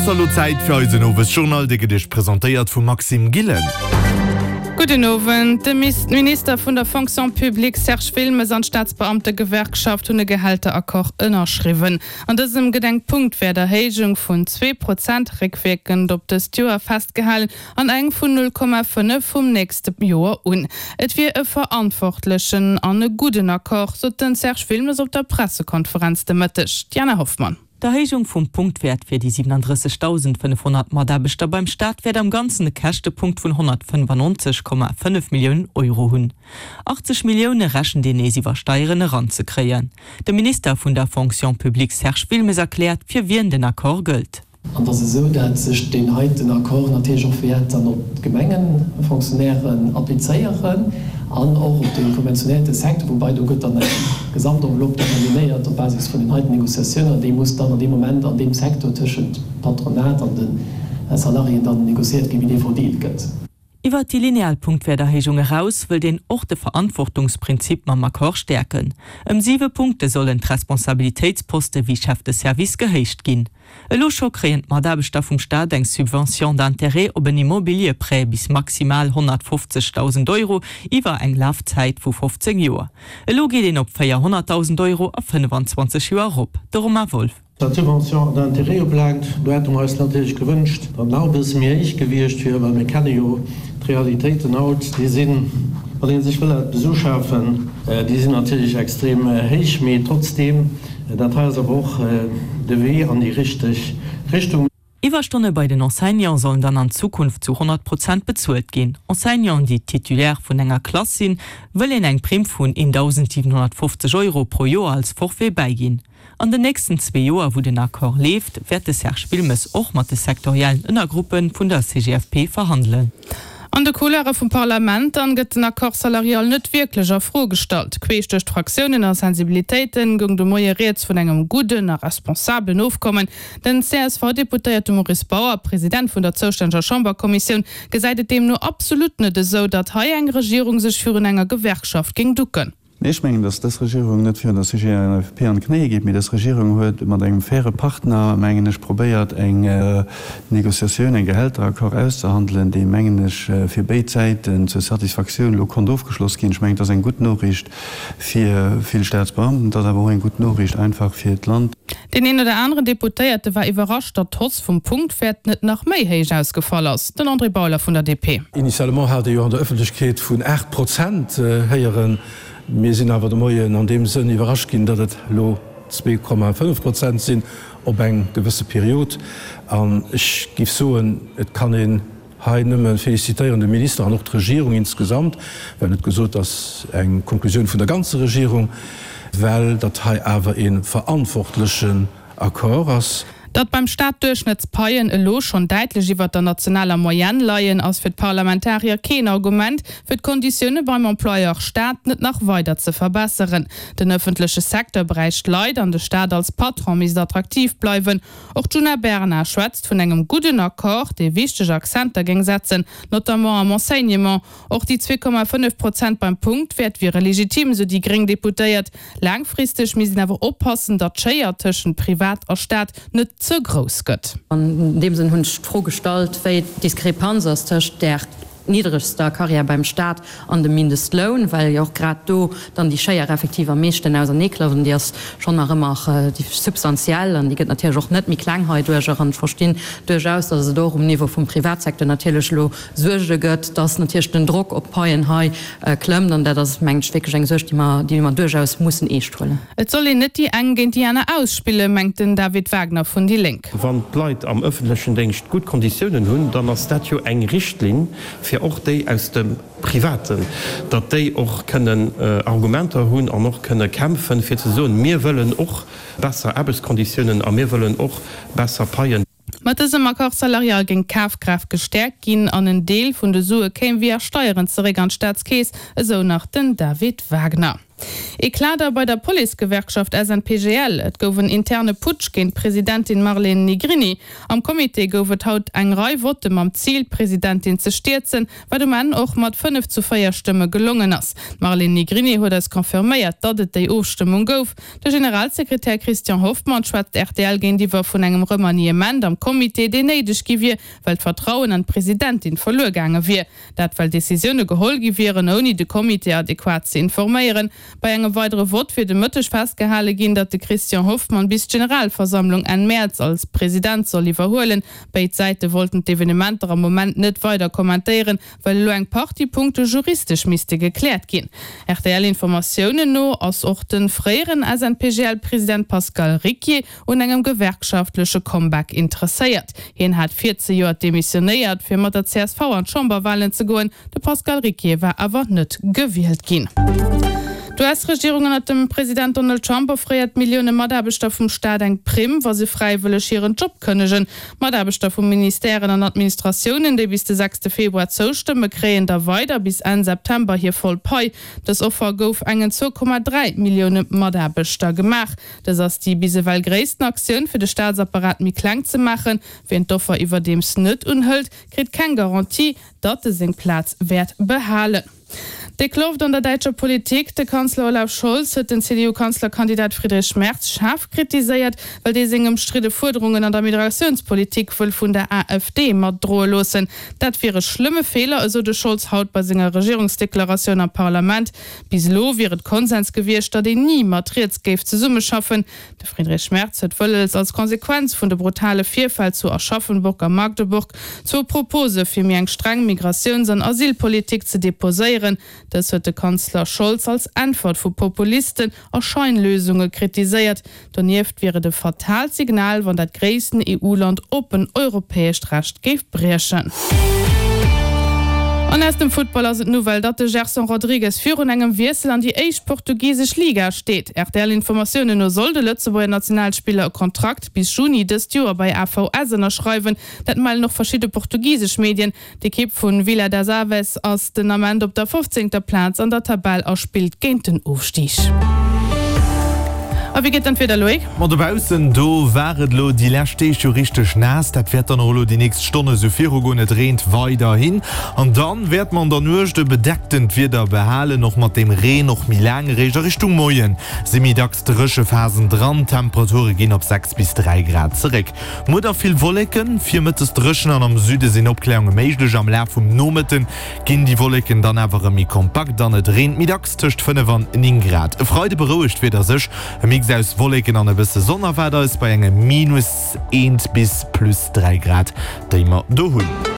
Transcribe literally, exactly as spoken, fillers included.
ass elo Zäit fir eisen Owesjournal, dee gëtt Iech presentéiert vum Maxime Gillen. Gudden Owend. De Minister vun der Fonction publique Serge Wilmes an d'Staatsbeamtegewerkschaft hunn e Gehälteraccord ënnerschriwwen. An dësem gëtt eng Punktwäerterhéijung vun zwee Prozent réckwierkend op dëst Joer festgehalen an eng vun null Komma fënnef vum nächste Joer un. Et wier e verantwortlechen an e gudden Accord, sot den Serge Wilmes op der Pressekonferenz de Mëtteg. D'Jana Hoffmann. D'Erhéijung vum Punktwäert fir déi siewenunddrëssegdausendfënnefhonnert Mataarbechter beim Staat wäert am Ganzen e Käschtepunkt vun honnertfënnefannonzeg Komma fënnef Milliounen Euro hunn. Achtzeg Millioune rechent een nees iwwer Steieren eranzekréien. De Minister vun der Fonction publique Serge Wilmes erkläert, fir wien den Accord gëllt. An et ass esou, dat sech deen heiten Accord natierlech och wäert dann op d'Gemengefonctionnairen applizéieren an och op de konventionéierte Secteur, woubai do gëtt dann eng Gesamtenveloppe determinéiert op Basis vun den heiten Négociatiounen an déi muss dann an deem Moment an deem Secteur tëschent Patronat an de Salariéen dann négociéiert ginn, wéi dee verdeelt gëtt. Iwwert déi lineal Punktwäerterhéijung eraus wëllt een och de Verantwortungsprinzip mam Accord stäerken. Ëm siwe Punkte sollen d'Responsabilitéitsposte wéi Chef de service gehéicht ginn. Elo scho kréien d'Mataarbechter vum Staat eng Subvention d'intérêt op en Immobilieprêt bis maximal honnertfofzegdausend Euro iwwer eng Lafzäit vu fofzéng Joer. Elo geet een op véierhonnertdausend Euro a fënnefanzwanzeg Joer erop. De Romain Wolff. Wat d'Subvention d'intérêt ubelaangt, do hätte mer eis natierlech gewënscht, datt nach e bësse méi héich gewiescht wier, well mir kenne jo d'Realitéiten haut, déi sinn, wann ee sech wëll eppes uschafen, déi sinn natierlech extrem héich. Mee trotzdeem, dat hei ass awer och de Wee an déi richteg Richtung. Iwwerstonne bei den Enseignante sollen dann an Zukunft zu honnert Prozent bezuelt ginn. Enseignanten, déi Titulaire vun enger Klass sinn, wëll een eng Primm vun eentausendsiwenhonnertfofzeg Euro pro Joer als Forfait bäiginn. An den nächsten zwee Joer, wou den Accord leeft, wäert de Serge Wilmes och mat de sektoriellen Ënnergruppe vun der C G F P verhandelen. An de Couloire vum Parlament dann gëtt den Accord salarial net wierklech a Fro gestallt. Queesch duerch d'Fraktiounen a Sensibilitéiten goung de Moie rieds vun engem gudden a responsabelen Ofkommen. Den C S V-Deputéierte Maurice Bauer, President vun der zoustänneger Chamberkommissioun, gesäit et deemno absolut net esou, datt hei eng Regierung sech virun enger Gewerkschaft géing ducken. Nee, ech mengen, datt dës Regierung net virun der C G F P an d'Knéie geet, mee dës Regierung huet mat engem faire Partner, mengen ech, probéiert eng Négociatioun, e Gehälteraccord auszehandelen, dee, mengen ech, fir béid Säiten zur Satisfaktioun elo konnt ofgeschloss ginn. Ech mengen, dat ass eng gutt Noriicht fir vill Staatsbeamten, dat ass awer och eng gutt Noriicht einfach fir d'Land. Deen een oder aneren Deputéierte war iwwerrascht, datt d'Hausse vum Punktwäert net nach méi héich ausgefall ass. Den André Bauler vun der D P. Initialement hat ee jo an der Ëffentlechkeet vun aacht Prozent héieren. Mir sinn awer de Moien an deem Sënn iwwerrascht ginn, datt et elo zwee Komma fënnef Prozent sinn op eng gewësse Period. An ech géif soen, et kann een hei nëmme félicitéieren, de Minister an och d'Regierung insgesamt, well net gesot, ass eng Konklusioun vun der ganzer Regierung, well dat hei awer e verantwortlechen Accord ass. Datt beim Staat d'Duerchschnëttspaien elo schonn däitlech iwwer der nationaler Moyenne leien, ass fir d'Parlamentarier keen Argument, fir d'Konditioune beim Employeur Staat net nach weider ze verbesseren. Den ëffentleche Secteur bräicht Leit an de Staat als Patron misst attraktiv bleiwen. Och d'Djuna Bernard schwätzt vun engem gudden Accord, dee wichteg Akzenter géing setzen, notamment am Enseignement. Och déi zwee Komma fënnef Prozent beim Punktwäert wiere legitim, sou déi gréng Deputéiert. Laangfristeg misst een awer oppassen, datt d'Schéier tëschent Privat a Staat net ze grouss gëtt. An deem Sënn hunn ech d'Fro gestallt, wéi d'Diskrepanz ass tëscht där niddregster Carrière beim Staat an dem Mindestloun, well jo och grad do dann déi Schéier effektiv am meeschten auserneeklafft. An déi ass schonn nach ëmmer substantiell an déi gëtt natierlech och net méi kleng heiduercher. An ech verstinn duerchaus, datt et och um Niveau vum Privatsecteur natierlech elo Suerge gëtt, datt natierlech den Drock op d'Paien hei klëmmt. An dat ass, mengen ech, wierklech eng Suerg, déi mer, déi mer duerchaus mussen eescht huelen. Et soll een net déi eng géint déi aner ausspillen, mengt den David Wagner vun déi Lénk. Wann d'Leit am ëffentlechen Déngscht gutt Konditiounen hunn, dann ass dat jo eng Richtlinn fir och déi aus dem Privaten, datt déi och kënnen Argumenter hunn an och kënne kämpfen, fir ze soen, mir wëllen och besser Aarbechtskonditiounen a mir wëllen och besser Paien. Mat dësem Accord salarial géing d'Kafkraaft gestäerkt ginn an en Deel vun de Sue kéim via Steieren zeréck an d'Staatskeess, esou nach den David Wagner. Eclat da bei der Policegewerkschaft S N P G L. Et gouf en interne Putsch géint d'Presidentin Marlene Negrini. Am Comité gouf et haut eng Rei Votte mam Zil, d'Presidentin ze stierzen, wat um Enn och mat fënnef zu véier Stëmme gelongen ass. D'Marlene Negrini huet eis confirméiert, datt et déi Ofstëmmung gouf. De Generalsekretär Christian Hoffmann schwätzt R T L géintiwwer vun engem Remaniement am Comité, deen néideg gi wier, well d'Vertrauen an d'Presidentin verluer gaange wier. Dat well Decisioune geholl gi wieren, ouni de Comité adequat ze informéieren. Bei engem weidere Vott wier de Mëtteg festgehale ginn, datt de Christian Hoffmann bis d'Generalversammlung Enn Mäerz als President soll iwwerhuelen. Béid Säite wollten d'Evenementer am Moment net weider kommentéieren, well elo eng Partie Punkte juristesch misste gekläert ginn. R T L-Informatiounen no ass och de fréieren S N P G L-President Pascal Ricquier un engem gewerkschaftleche Comeback interesséiert. Hien hat virzejoert demissionéiert, fir mat der C S V an d'Chamberwalen ze goen. De Pascal Ricquier war awer net gewielt ginn. D'U S-Regierung ënnert dem President Donald Trump offréiert Millioune Mataarbechter vum Staat eng Primm, wa se fräiwëlleg hiren Job kënnegen. Mataarbechter vu Ministèren an Administratiounen, déi bis de sechste Februar zoustëmmen, kréien da weider bis Enn September hir voll Pai. Dës Offer gouf engen zwou Komma dräi Millioune Mataarbechter gemaach. Dës ass déi bis ewell gréissten Aktioun, fir de Staatsapparat méi kleng ze maachen. Wien d'Offer iwwerdeems net unhëlt, kritt keng Garantie, datt e seng Plaz wäert behalen. Déck Loft an der däitscher Politik, De Kanzler Olaf Scholz huet den C D U-Kanzlerkandidat Friedrich Merz schaarf kritiséiert, well dee seng ëmstridde Fuerderungen an der Migratiounspolitik wëll vun der A F D matdroe loossen. Dat wier e schlëmme Feeler, esou de Scholz haut bei senger Regierungsdeklaratioun am Parlament. Bis elo wier et Konsens gewiescht, datt een ni mat riets géif zesummeschaffen. De Friedrich Merz huet wëlles, als Konsequenz vun de brutale Virfäll zu Aschaffenburg a Magdeburg zwou Propose fir méi eng streng Migratiouns an Asylpolitik ze deposéieren. Dës huet de Kanzler Scholz als Äntwert vu Populisten a Scheinlösunge kritiséiert. Donieft wier et e fataalt Signal, wann dat gréissten E U-Land oppen europäescht Recht géif briechen. An aus dem Futtball ass et d'Nouvelle, datt de Gerson Rodrigues virun engem Wiessel an déi éischt portugisesch Liga steet. R T L-Informatiounen no soll de Lëtzebuerger Nationalspiller e Kontrakt bis Juni dëst Joer bei A V S ënnerschreiwen. Dat mellen och verschidde portugisesch Medien. D'Ekipp vu Vila das Aves ass den Ament op der fofzéngter Plaz an der Tabell a spillt géint den Ofstig. A wéi geet dann d'Wieder, Loïc? Ma dobaussen, do war et elo déi lescht Deeg jo richteg naass. Dat wäert dann och elo déi nächst Stonne sou virugoen. Et reent weiderhin an dann wäert mer an der Nuecht e bedecktent Wieder behalen, och mat deem Reen och méi laang. Eréischt a Richtung Moien si méi dacks dréche Phasen dran. D'Temperature ginn op sechs bis dräi Grad zeréck. Muer da vill Wolleken, virmëttes dréchen an am Süde sinn Opkläerunge méiglech. Am Laf vum Nomëtte ginn déi Wolleken dann awer erëm méi kompakt an et reent méi dacks, tëscht fënnef an néng Grad. E Freide berouegt d'Wieder sech, e Mix aus Wolleken an e bësse Sonn erwaart eis bei engem Minus eent bis plus dräi Grad, déi mer do hunn.